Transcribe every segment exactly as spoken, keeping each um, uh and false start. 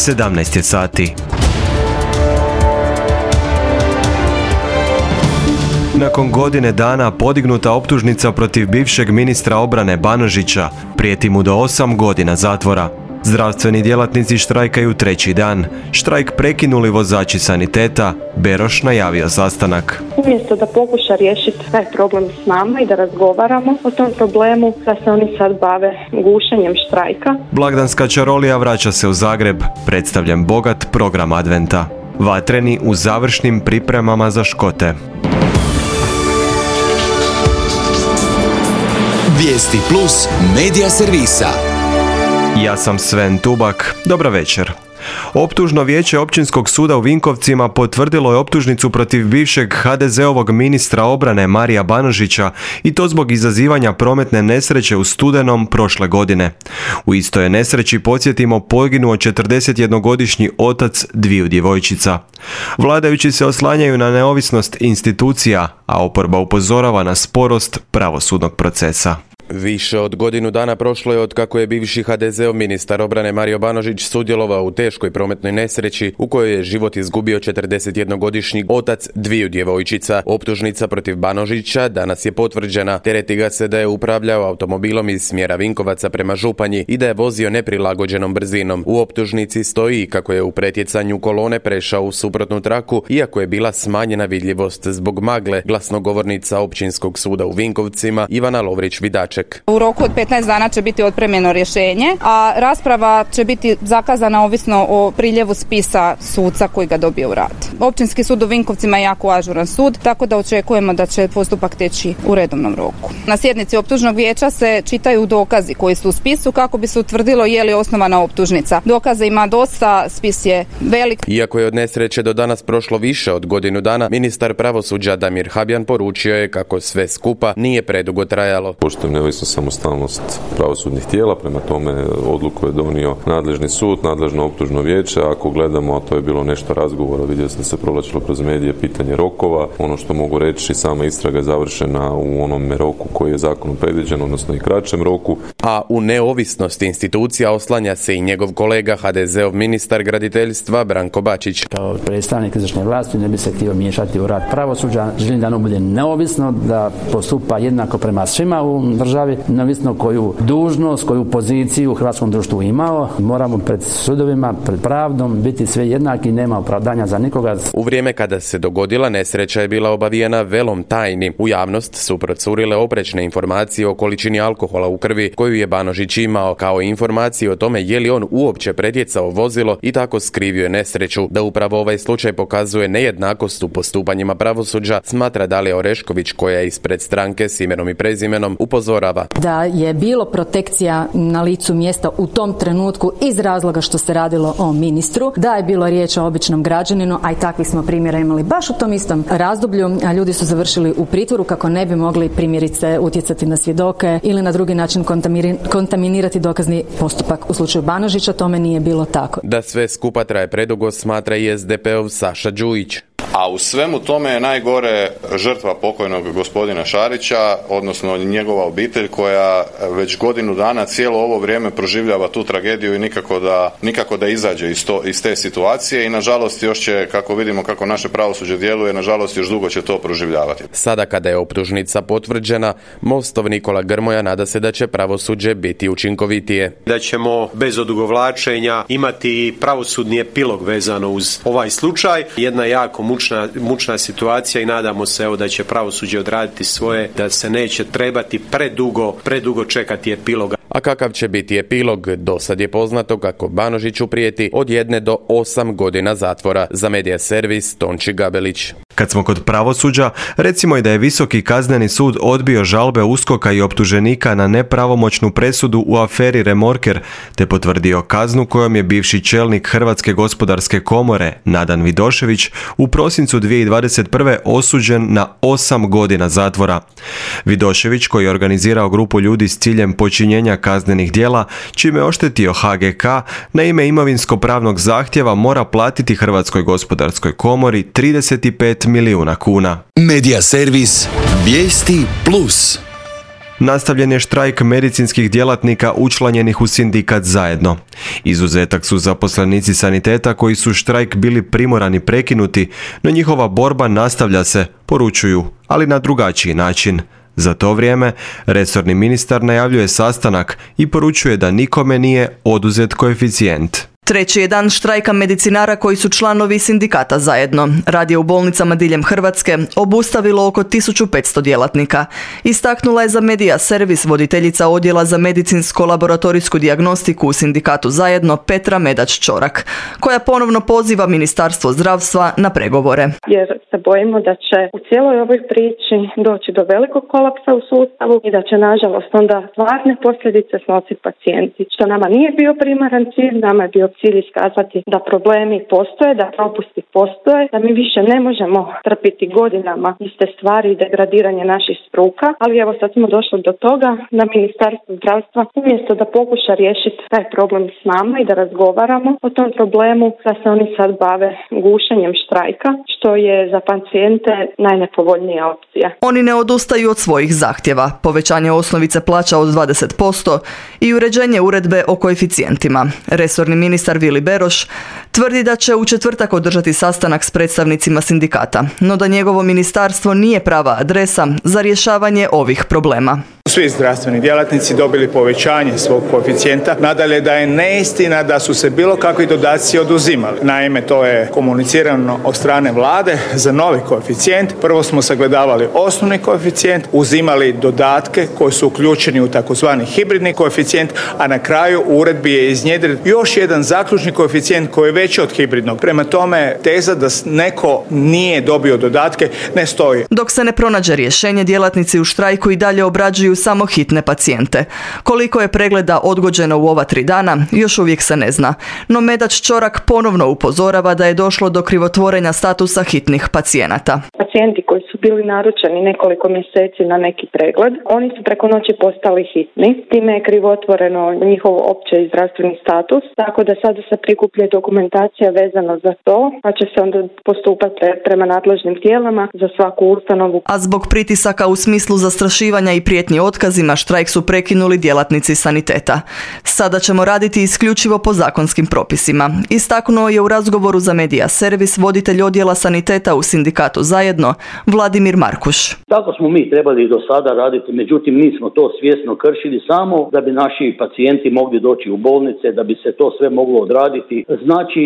sedamnaest je sati. Nakon godine dana podignuta optužnica protiv bivšeg ministra obrane Banožića, prijeti mu do osam godina zatvora. Zdravstveni djelatnici štrajkaju treći dan. Štrajk prekinuli vozači saniteta. Beroš najavio sastanak. Umjesto da pokuša riješiti taj problem s nama i da razgovaramo o tom problemu, da se oni sad bave gušenjem štrajka. Blagdanska čarolija vraća se u Zagreb. Predstavljen bogat program adventa. Vatreni u završnim pripremama za Škote. Vijesti plus medija servisa. Ja sam Sven Tubak. Dobar večer. Optužno vijeće Općinskog suda u Vinkovcima potvrdilo je optužnicu protiv bivšeg ha de zeovog ministra obrane Marija Banožića i to zbog izazivanja prometne nesreće u studenom prošle godine. U istoj je nesreći, podsjetimo, poginuo četrdesetjednogodišnji otac dviju djevojčica. Vladajući se oslanjaju na neovisnost institucija, a oporba upozorava na sporost pravosudnog procesa. Više od godinu dana prošlo je od kako je bivši ha de zeov ministar obrane Mario Banožić sudjelovao u teškoj prometnoj nesreći u kojoj je život izgubio četrdesetjednogodišnji otac dviju djevojčica. Optužnica protiv Banožića danas je potvrđena. Tereti ga se da je upravljao automobilom iz smjera Vinkovaca prema Županji i da je vozio neprilagođenom brzinom. U optužnici stoji kako je u pretjecanju kolone prešao u suprotnu traku, iako je bila smanjena vidljivost zbog magle. Glasnogovornica Općinskog suda u Vinkovcima Ivana Lovrić-Vidaček. U roku od petnaest dana će biti otpremljeno rješenje, a rasprava će biti zakazana ovisno o priljevu spisa suca koji ga dobije u rad. Općinski sud u Vinkovcima je jako ažuran sud, tako da očekujemo da će postupak teći u redovnom roku. Na sjednici optužnog vijeća se čitaju dokazi koji su u spisu kako bi se utvrdilo je li osnovana optužnica. Dokaza ima dosta, spis je velik. Iako je od nesreće do danas prošlo više od godinu dana, ministar pravosuđa Damir Habjan poručio je kako sve skupa nije predugo trajalo. Poštujem neovisno samostalnost pravosudnih tijela, prema tome odluku je donio nadležni sud, nadležno optužno vijeće. Ako gledamo, a to je bilo nešto razgovora, vidio sam da se provlačilo kroz medije pitanje rokova. Ono što mogu reći, sama istraga je završena u onom roku koji je zakonom predviđen, odnosno i kraćem roku. A u neovisnost institucija oslanja se i njegov kolega ha de zeov ministar graditeljstva Branko Bačić. Kao predstavnik izvršne vlasti ne bi se htio miješati u rad pravosuđa. Želim da ono bude neovisno, da postupa jednako prema svima u državi, neovisno koju dužnost, koju poziciju u hrvatskom društvu imao. Moramo pred sudovima, pred pravdom biti sve jednaki, nema opravdanja za nikoga. U vrijeme kada se dogodila nesreća je bila obavijena velom tajni. U javnost su procurile oprečne informacije o količini alkohola u krvi koju je Banožić imao, kao i informacije o tome je li on uopće pretjecao vozilo i tako skrivio je nesreću. Da upravo ovaj slučaj pokazuje nejednakost u postupanjima pravosuđa, smatra Dalija Orešković, koja je ispred stranke s imenom i prezimenom upozorava. Da je bilo protekcija na licu mjesta u tom trenutku iz razloga što se radilo o ministru, da je bilo riječ o običnom građaninu, a i takvih smo primjera imali baš u tom istom razdoblju, a ljudi su završili u pritvoru kako ne bi mogli primjerice utjecati na svjedoke ili na drugi način kontaminirati dokazni postupak. U slučaju Banožića tome nije bilo tako. Da sve skupa traje predugo, smatra i es de pe ov Saša Đujić. A u svemu tome je najgore žrtva pokojnog gospodina Šarića, odnosno njegova obitelj koja već godinu dana cijelo ovo vrijeme proživljava tu tragediju i nikako da, nikako da izađe iz, to, iz te situacije i nažalost još će, kako vidimo kako naše pravosuđe djeluje, nažalost još dugo će to proživljavati. Sada kada je optužnica potvrđena, Mostov Nikola Grmoja nada se da će pravosuđe biti učinkovitije. Da ćemo bez odugovlačenja imati pravosudni epilog vezano uz ovaj slučaj. Jedna jako mučna, mučna situacija i nadamo se evo da će pravosuđe odraditi svoje, da se neće trebati predugo, predugo čekati epiloga. A kakav će biti epilog? Dosad je poznato kako Banožiću prijeti od jedne do osam godina zatvora. Za Medija servis Tonči Gabelić. Kad smo kod pravosuđa, recimo i da je Visoki kazneni sud odbio žalbe USKOK-a i optuženika na nepravomoćnu presudu u aferi Remorker, te potvrdio kaznu kojom je bivši čelnik Hrvatske gospodarske komore Nadan Vidošević u prosincu dvije tisuće dvadeset prve osuđen na osam godina zatvora. Vidošević, koji je organizirao grupu ljudi s ciljem počinjenja kaznenih djela, čime je oštetio ha ge ka, na ime imovinsko-pravnog zahtjeva mora platiti Hrvatskoj gospodarskoj komori trideset pet milijuna kuna. Medija servis Vijesti plus. nastavljen je štrajk medicinskih djelatnika učlanjenih u sindikat Zajedno. Izuzetak su zaposlenici saniteta koji su štrajk bili primorani prekinuti, no njihova borba nastavlja se, poručuju, ali na drugačiji način. Za to vrijeme, resorni ministar najavljuje sastanak i poručuje da nikome nije oduzet koeficijent. Treći je dan štrajka medicinara koji su članovi sindikata Zajedno. Rad je u bolnicama diljem Hrvatske obustavilo oko tisuću petsto djelatnika. Istaknula je za Media Servis voditeljica odjela za medicinsko-laboratorijsku dijagnostiku u sindikatu Zajedno Petra Medač-Čorak, koja ponovno poziva Ministarstvo zdravstva na pregovore. Jer se bojimo da će u cijeloj ovoj priči doći do velikog kolapsa u sustavu i da će nažalost onda stvarne posljedice snositi pacijenti. Što nama nije bio primaran cilj, nama je bio cilj iskazati da problemi postoje, da propusti postoje, da mi više ne možemo trpiti godinama iste stvari i degradiranje naših struka, ali evo sad smo došli do toga da Ministarstvo zdravstva umjesto da pokuša riješiti taj problem s nama i da razgovaramo o tom problemu, da se oni sad bave gušenjem štrajka, što je za pacijente najnepovoljnija opcija. Oni ne odustaju od svojih zahtjeva, povećanje osnovice plaća od dvadeset posto i uređenje uredbe o koeficijentima. Resorni ministar Vili Beroš tvrdi da će u četvrtak održati sastanak s predstavnicima sindikata, no da njegovo ministarstvo nije prava adresa za rješavanje ovih problema. Svi zdravstveni djelatnici dobili povećanje svog koeficijenta. Nadalje da je neistina da su se bilo kakvi dodaci oduzimali. Naime, to je komunicirano od strane vlade za novi koeficijent. Prvo smo sagledavali osnovni koeficijent, uzimali dodatke koji su uključeni u takozvani hibridni koeficijent, a na kraju u uredbi je iznjedren još jedan zaključni koeficijent koji je veći od hibridnog. Prema tome, teza da neko nije dobio dodatke ne stoji. Dok se ne pronađe rješenje, djelatnici u štrajku i dalje obrađuju samo hitne pacijente. Koliko je pregleda odgođeno u ova tri dana, još uvijek se ne zna. No Medač-Čorak ponovno upozorava da je došlo do krivotvorenja statusa hitnih pacijenata. Pacijenti koji su bili naručeni nekoliko mjeseci na neki pregled, oni su preko noći postali hitni. Time je krivotvoreno njihov opće i zdravstveni status, tako da sada se prikuplja dokumentacija vezano za to, pa će se onda postupati prema nadležnim tijelama za svaku ustanovu. A zbog pritisaka u smislu zastrašivanja i prijetnji otkazima, štrajk su prekinuli djelatnici saniteta. Sada ćemo raditi isključivo po zakonskim propisima. Istaknuo je u razgovoru za Media Servis voditelj odjela saniteta u sindikatu Zajedno, Vladimir Markuš. Tako smo mi trebali do sada raditi, međutim mi smo to svjesno kršili samo da bi naši pacijenti mogli doći u bolnice, da bi se to sve moglo odraditi. Znači,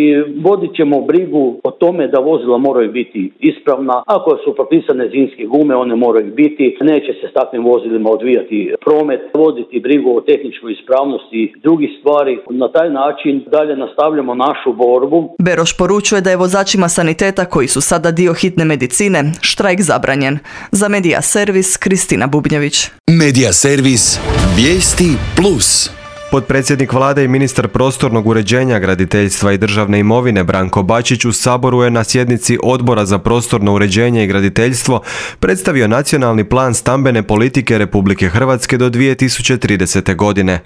vodit ćemo brigu o tome da vozila moraju biti ispravna. Ako su propisane zimske gume, one moraju biti. Neće se s takvim vozilima odvijati promet, voditi brigu o tehničkoj ispravnosti i drugih stvari. Na taj način dalje nastavljamo našu borbu. Beroš poručuje da je vozačima saniteta koji su sada dio hitne medicine štrajk zabranjen. Za Media Servis, Kristina Bubnjević. Media Servis, vijesti plus. Potpredsjednik vlade i ministar prostornog uređenja, graditeljstva i državne imovine Branko Bačić u Saboru je na sjednici Odbora za prostorno uređenje i graditeljstvo predstavio nacionalni plan stambene politike Republike Hrvatske do dvije tisuće tridesete. godine.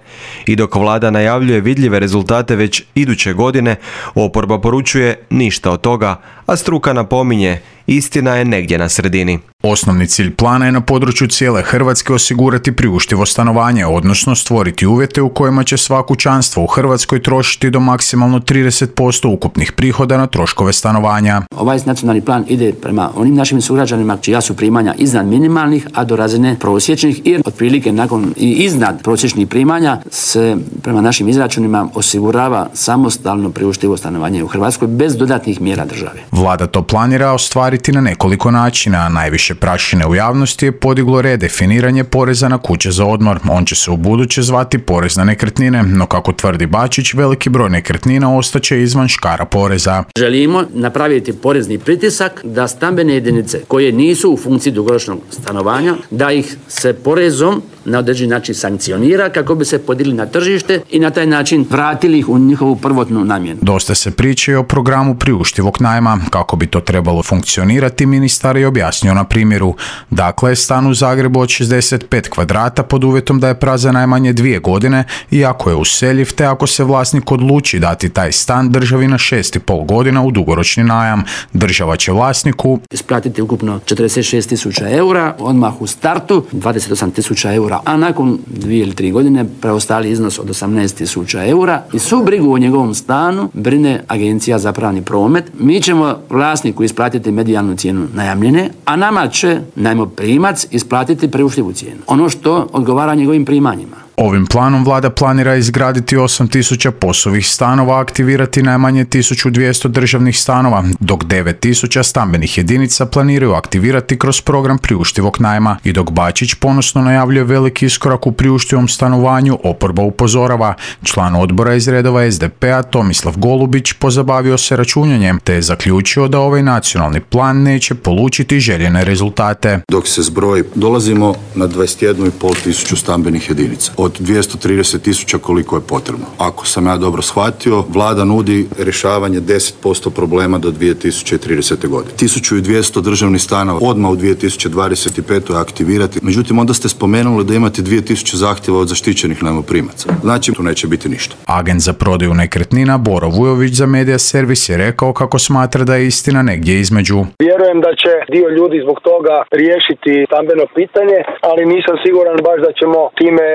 I dok vlada najavljuje vidljive rezultate već iduće godine, oporba poručuje ništa od toga, a struka napominje istina je negdje na sredini. Osnovni cilj plana je na području cijele Hrvatske osigurati priuštivo stanovanje, odnosno stvoriti uvjete u kojima će sva kućanstva u Hrvatskoj trošiti do maksimalno trideset posto ukupnih prihoda na troškove stanovanja. Ovaj nacionalni plan ide prema onim našim sugrađanima čija su primanja iznad minimalnih, a do razine prosječnih i otprilike nakon i iznad prosječnih primanja se prema našim izračunima osigurava samostalno priuštivo stanovanje u Hrvatskoj bez dodatnih mjera države. Vlada to planira ostvariti na nekoliko načina, a najviše prašine u javnosti je podiglo redefiniranje poreza na kuće za odmor. On će se ubuduće zvati porez na nekretnine, no kako tvrdi Bačić, veliki broj nekretnina ostaće izvan škara poreza. Želimo napraviti porezni pritisak da stambene jedinice koje nisu u funkciji dugoročnog stanovanja, da ih se porezom na određeni način sankcionira kako bi se podigli na tržište i na taj način vratili ih u njihovu prvotnu namjenu. Dosta se priče o programu priuštivog najma. Kako bi to trebalo funkcionirati, ministar je objasnio na primjeru. Dakle, stan u Zagrebu od šezdeset pet kvadrata pod uvjetom da je prazan najmanje dvije godine i ako je useljiv, te ako se vlasnik odluči dati taj stan državi na šest i pol godina u dugoročni najam. Država će vlasniku isplatiti ukupno četrdeset šest tisuća eura, odmah u startu dvadeset osam tisuća eura eura, a nakon dvije ili tri godine preostali iznos od osamnaest tisuća eura i svu brigu o njegovom stanu brine Agencija za pravni promet. Mi ćemo vlasniku isplatiti medijalnu cijenu najamljene, a nama će najmoprimac isplatiti priuštivu cijenu. Ono što odgovara njegovim primanjima. Ovim planom vlada planira izgraditi osam tisuća poslovnih stanova, aktivirati najmanje tisuću dvjesto državnih stanova, dok devet tisuća stambenih jedinica planiraju aktivirati kroz program priuštivog najma. I dok Bačić ponosno najavljuje veliki iskorak u priuštivom stanovanju, oporba upozorava. Član odbora iz redova es de pe a Tomislav Golubić pozabavio se računjanjem, te je zaključio da ovaj nacionalni plan neće polučiti željene rezultate. Dok se zbroji, dolazimo na dvadeset jednu i pol tisuću stambenih jedinica. Od dvjesto trideset tisuća koliko je potrebno. Ako sam ja dobro shvatio, vlada nudi rješavanje deset posto problema do dvije tisuće tridesete. godine. tisuću dvjesto državnih stanova odmah u dvije tisuće dvadeset petoj aktivirati. Međutim, onda ste spomenuli da imate dvije tisuće zahtjeva od zaštićenih najmoprimaca. Znači, tu neće biti ništa. Agent za prodaju nekretnina Boro Vujović za Media Servis je rekao kako smatra da je istina negdje između. Vjerujem da će dio ljudi zbog toga riješiti stambeno pitanje, ali nisam siguran baš da ćemo time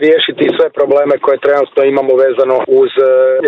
riješiti sve probleme koje trenutno imamo vezano uz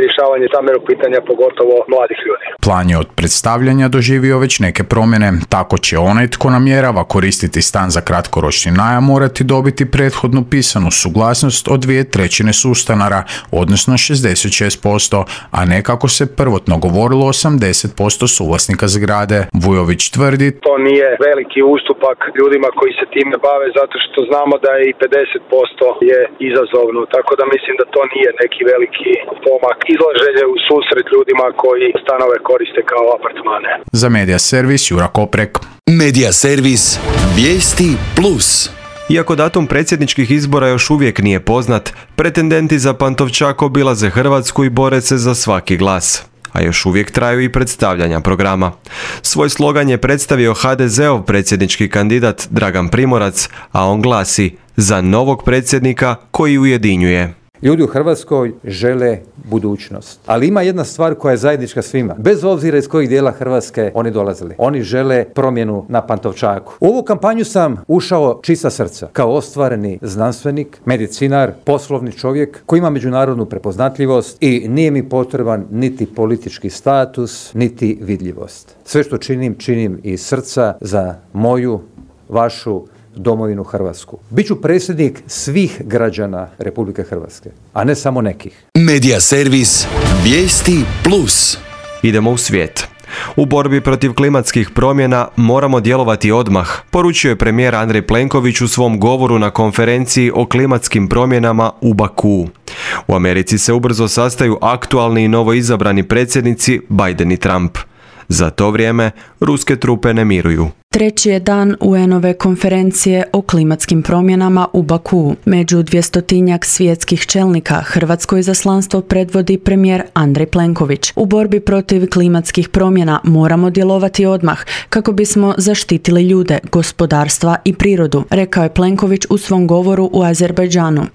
rješavanje stambenog pitanja, pogotovo mladih ljudi. Plan je od predstavljanja doživio već neke promjene. Tako će onaj tko namjerava koristiti stan za kratkoročni najam morati dobiti prethodnu pisanu suglasnost od dvije trećine sustanara, odnosno šezdeset šest posto, a ne kako se prvotno govorilo osamdeset posto suvlasnika zgrade. Vujović tvrdi: to nije veliki ustupak ljudima koji se time bave, zato što znamo da je i pedeset posto je izazovno, tako da mislim da to nije neki veliki pomak. Izlaženje u susret ljudima koji stanove koriste kao apartmane. Za Media Servis Jura Koprek. Media Servis Vijesti plus. Iako datum predsjedničkih izbora još uvijek nije poznat, pretendenti za Pantovčak obilaze Hrvatsku i bore se za svaki glas. A još uvijek traju i predstavljanja programa. Svoj slogan je predstavio ha de zeov predsjednički kandidat Dragan Primorac, a on glasi: za novog predsjednika koji ujedinjuje. Ljudi u Hrvatskoj žele budućnost. Ali ima jedna stvar koja je zajednička svima. Bez obzira iz kojih dijela Hrvatske oni dolazili. Oni žele promjenu na Pantovčaku. U ovu kampanju sam ušao čista srca. Kao ostvareni znanstvenik, medicinar, poslovni čovjek koji ima međunarodnu prepoznatljivost i nije mi potreban niti politički status, niti vidljivost. Sve što činim, činim iz srca za moju, vašu domovinu Hrvatsku. Biću predsjednik svih građana Republike Hrvatske, a ne samo nekih. Media Servis Vijesti plus. Idemo u svijet. U borbi protiv klimatskih promjena moramo djelovati odmah, poručio je premijer Andrej Plenković u svom govoru na konferenciji o klimatskim promjenama u Bakuu. U Americi se ubrzo sastaju aktualni i novoizabrani predsjednici Biden i Trump. Za to vrijeme ruske trupe ne miruju. Treći je dan u en-ove konferencije o klimatskim promjenama u Bakuu. Među dvjestotinjak svjetskih čelnika Hrvatsko izaslanstvo predvodi premijer Andrej Plenković. U borbi protiv klimatskih promjena moramo djelovati odmah kako bismo zaštitili ljude, gospodarstva i prirodu, rekao je Plenković u svom govoru u Azerbajdžanu.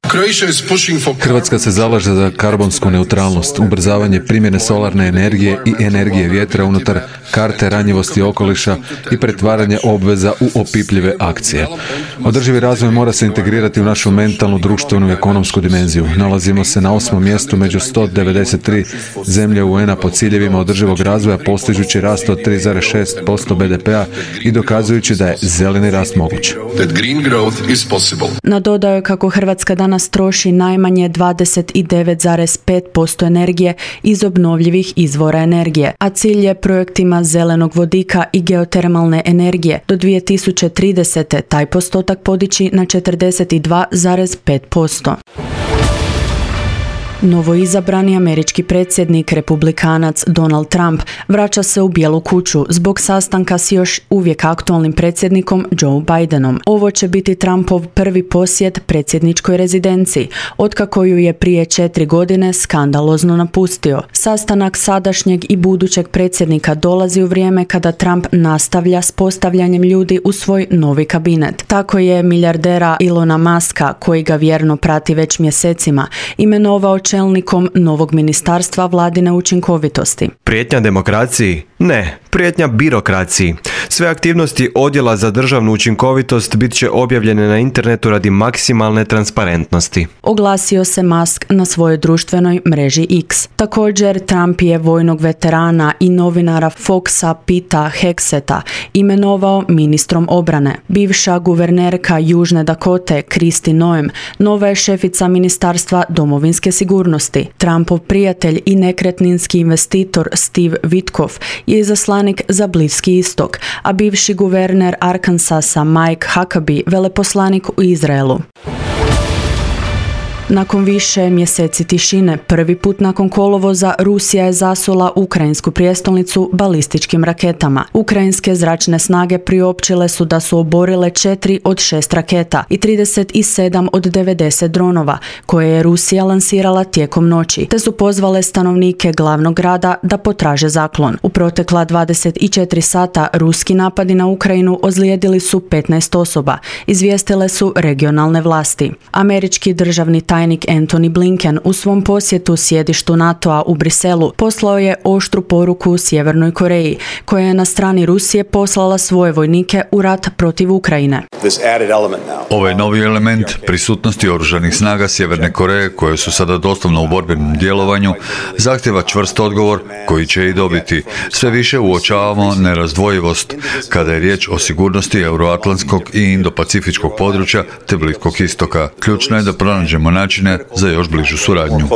Hrvatska se zalaže za karbonsku neutralnost, ubrzavanje primjene solarne energije i energije vjetra unutar karte ranjivosti okoliša i pretvaranje obveza u opipljive akcije. Održivi razvoj mora se integrirati u našu mentalnu, društvenu i ekonomsku dimenziju. Nalazimo se na osmom mjestu među sto devedeset tri zemlje u en-a po ciljevima održivog razvoja, postižući rast od tri zarez šest posto be de pe-a i dokazujući da je zeleni rast moguć. Nadodao je kako Hrvatska danas troši najmanje dvadeset devet zarez pet posto energije iz obnovljivih izvora energije, a cilj je projektima zelenog vodika i geotermalne energije do dvije tisuće tridesete. taj postotak podići na četrdeset dva zarez pet posto. Novoizabrani američki predsjednik, republikanac Donald Trump, vraća se u Bijelu kuću zbog sastanka s još uvijek aktualnim predsjednikom Joe Bidenom. Ovo će biti Trumpov prvi posjet predsjedničkoj rezidenciji, otkako ju je prije četiri godine skandalozno napustio. Sastanak sadašnjeg i budućeg predsjednika dolazi u vrijeme kada Trump nastavlja s postavljanjem ljudi u svoj novi kabinet. Tako je milijardera Elona Muska, koji ga vjerno prati već mjesecima, imenovao čelnikom novog ministarstva vladine učinkovitosti. Prijetnja demokraciji? Ne, prijetnja birokraciji. Sve aktivnosti Odjela za državnu učinkovitost bit će objavljene na internetu radi maksimalne transparentnosti. Oglasio se Musk na svojoj društvenoj mreži X. Također, Trump je vojnog veterana i novinara Foxa Pita Hexeta imenovao ministrom obrane. Bivša guvernerka Južne Dakote Kristi Noem nova je šefica Ministarstva domovinske sigurnosti. Trumpov prijatelj i nekretninski investitor Steve Witkoff je izaslanik za Bliski istok, a bivši guverner Arkansasa Mike Huckabee veleposlanik u Izraelu. Nakon više mjeseci tišine, prvi put nakon kolovoza, Rusija je zasula ukrajinsku prijestolnicu balističkim raketama. Ukrajinske zračne snage priopćile su da su oborile četiri od šest raketa i trideset sedam od devedeset dronova, koje je Rusija lansirala tijekom noći, te su pozvale stanovnike glavnog grada da potraže zaklon. U protekla dvadeset četiri sata ruski napadi na Ukrajinu ozlijedili su petnaest osoba, izvijestile su regionalne vlasti. Američki državni tajnik Antony Blinken u svom posjetu sjedištu NATO-a u Briselu poslao je oštru poruku Sjevernoj Koreji, koja je na strani Rusije poslala svoje vojnike u rat protiv Ukrajine. Ovaj novi element prisutnosti oružanih snaga Sjeverne Koreje, koje su sada doslovno u borbenom djelovanju, zahtjeva čvrst odgovor koji će i dobiti. Sve više uočavamo nerazdvojivost kada je riječ o sigurnosti euroatlantskog i indopacifičkog područja te Bliskog istoka. Ključno je da pronađemo načine za još bližu suradnju.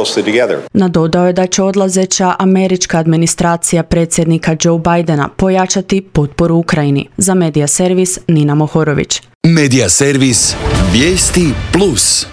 Nadodao je da će odlazeća američka administracija predsjednika Joe Bidena pojačati potporu Ukrajini. Za Medija servis Nina Mohorović. Medija servis Vijesti plus.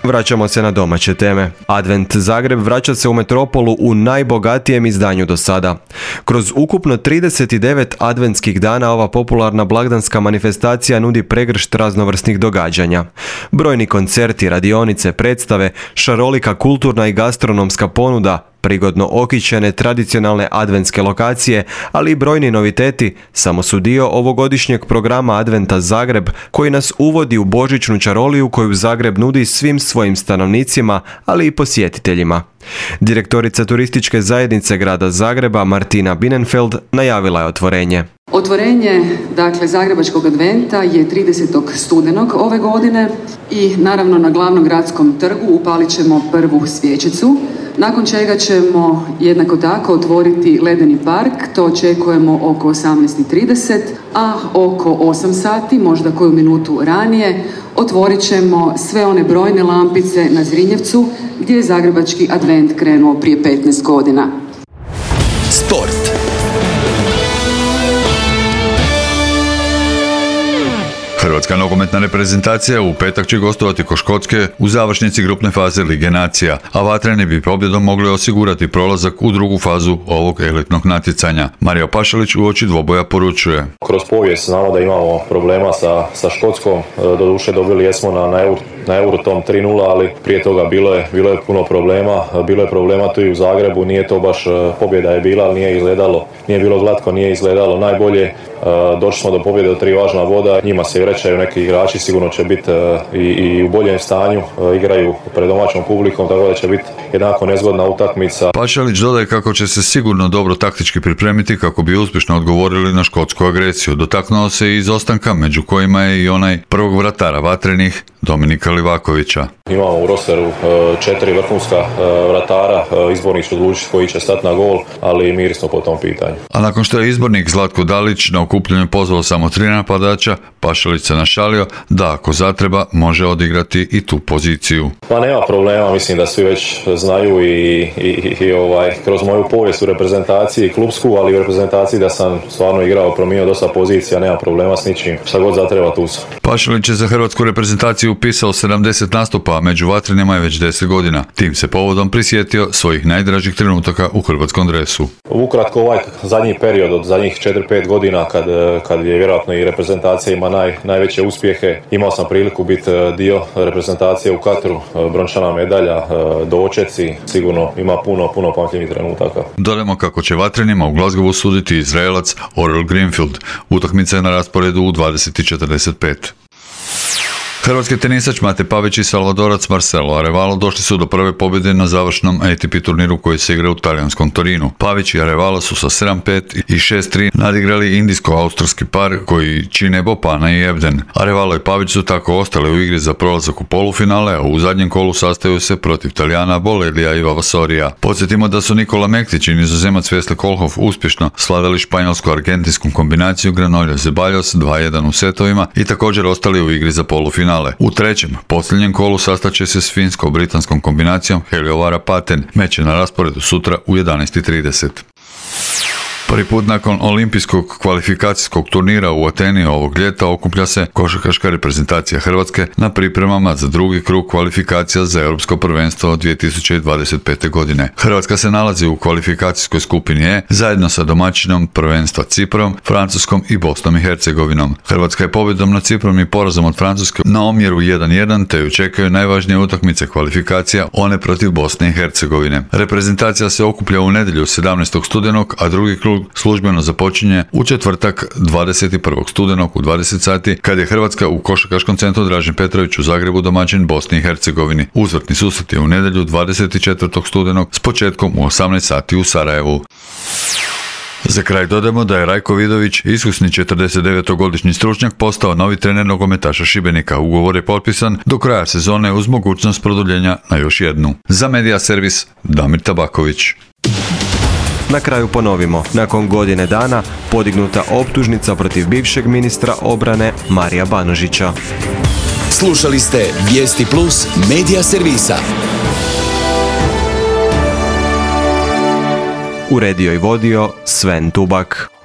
Vraćamo se na domaće teme. Advent Zagreb vraća se u metropolu u najbogatijem izdanju do sada. Kroz ukupno trideset devet adventskih dana ova popularna blagdanska manifestacija nudi pregršt raznovrsnih događanja. Brojni koncerti, radionice, predstave, šarolika kulturna i gastronomska ponuda, prigodno okićene tradicionalne adventske lokacije, ali i brojni noviteti samo su dio ovogodišnjeg programa Adventa Zagreb, koji nas uvodi u božićnu čaroliju koju Zagreb nudi svim svojim stanovnicima, ali i posjetiteljima. Direktorica turističke zajednice grada Zagreba Martina Binenfeld najavila je otvorenje. Otvorenje, dakle, Zagrebačkog adventa je tridesetog studenog ove godine i naravno na glavnom gradskom trgu upalit ćemo prvu svječicu, nakon čega ćemo jednako tako otvoriti ledeni park, to očekujemo oko osamnaest i trideset, a oko osam sati, možda koju minutu ranije, otvorit ćemo sve one brojne lampice na Zrinjevcu gdje je Zagrebački advent krenuo prije petnaest godina. Sport. Hrvatska nogometna reprezentacija u petak će gostovati kod Škotske u završnici grupne faze Lige nacija, a vatreni bi pobjedom mogli osigurati prolazak u drugu fazu ovog elitnog natjecanja. Mario Pašalić uoči dvoboja poručuje: kroz povijest znamo da imamo problema sa, sa Škotskom, doduše dobili jesmo na, na, Euro, na Eurotom tri nula, ali prije toga bilo je, bilo je puno problema, bilo je problema tu i u Zagrebu, nije to baš, pobjeda je bila, ali nije izgledalo, nije bilo glatko, nije izgledalo najbolje. Došli smo do pobjede od tri važna boda, njima se vraćaju neki igrači, sigurno će biti i, i u boljem stanju, igraju pred domaćom publikom, tako da će biti jednako nezgodna utakmica. Pašalić dodaje kako će se sigurno dobro taktički pripremiti kako bi uspješno odgovorili na škotsku agresiju. Dotaknuo se i izostanka, među kojima je i onaj prvog vratara vatrenih, Dominika Livakovića. Imamo u rosteru četiri vrhunska vratara, izbornik će odlučiti koji će stati na gol, ali mir smo po tom pitanju. A nakon što je izbornik Zlatko Dalić na okupljenju pozvao samo tri napadača, Pašalić se našalio da ako zatreba može odigrati i tu poziciju. Pa nema problema, mislim da svi već znaju i, i, i ovaj, kroz moju povijest u reprezentaciji klubsku, ali u reprezentaciji da sam stvarno igrao, promijenio dosta pozicija, nema problema s ničim, šta god zatreba tu sam. Pašalić je za hrvatsku reprezentaciju upisao sedamdeset nastupa, a među vatrenima je već deset godina. Tim se povodom prisjetio svojih najdražih trenutaka u hrvatskom dresu. Ukratko, ovaj zadnji period od zadnjih četiri pet godina kad, kad je vjerojatno i reprezentacija ima naj, najveće uspjehe, imao sam priliku biti dio reprezentacije u Katru, brončana medalja, dočeci, sigurno ima puno, puno pamtljivih trenutaka. Dodajmo kako će vatrenima u Glasgowu suditi Izraelac Orel Greenfield. Utakmica je na rasporedu u dvadeset i četrdeset pet. Hrvatski tenisač Mate Pavić i Salvadorac Marcelo Arevalo došli su do prve pobjede na završnom A T P turniru koji se igra u talijanskom Torinu. Pavić i Arevalo su sa sedam pet i šest tri nadigrali indijsko-australski par koji čine Bopana i Ebden. Arevalo i Pavić su tako ostali u igri za prolazak u polufinale, a u zadnjem kolu sastaju se protiv Talijana Bolelija i Vavasorija. Podsjetimo da su Nikola Mektić i nizozemac Vesle Kohlhoff uspješno slavili španjolsko-argentinsku kombinaciju Granollers-Zeballos dva jedan u setovima i također ostali u igri za polufinale. U trećem, posljednjem kolu sastaće se s finsko-britanskom kombinacijom Heliovara-Paten. Meč je na rasporedu sutra u jedanaest i trideset. Prvi put nakon olimpijskog kvalifikacijskog turnira u Ateni ovog ljeta okuplja se košarkaška reprezentacija Hrvatske na pripremama za drugi krug kvalifikacija za Europsko prvenstvo dvije tisuće dvadeset pete. godine. Hrvatska se nalazi u kvalifikacijskoj skupini E zajedno sa domaćinom prvenstva Ciprom, Francuskom i Bosnom i Hercegovinom. Hrvatska je pobjedom nad Ciprom i porazom od Francuske na omjeru jedan jedan, te ju čekaju najvažnije utakmice kvalifikacija, one protiv Bosne i Hercegovine. Reprezentacija se okuplja u nedjelju sedamnaestog studenog, a drugi krug službeno započinje u četvrtak dvadeset prvog studenog u dvadeset sati, kad je Hrvatska u košarkaškom centru Dražen Petrović u Zagrebu domaćin Bosni i Hercegovini. Uzvratni susret je u nedjelju dvadeset četvrtog studenog s početkom u osamnaest sati u Sarajevu. Za kraj dodamo da je Rajko Vidović, iskusni četrdesetdevetogodišnji stručnjak, postao novi trener nogometaša Šibenika. Ugovor je potpisan do kraja sezone uz mogućnost produljenja na još jednu. Za Medija servis Damir Tabaković. Na kraju ponovimo, nakon godine dana podignuta optužnica protiv bivšeg ministra obrane Marija Banožića. Slušali ste Vijesti Plus Medija servisa. Uredio i vodio Sven Tubak.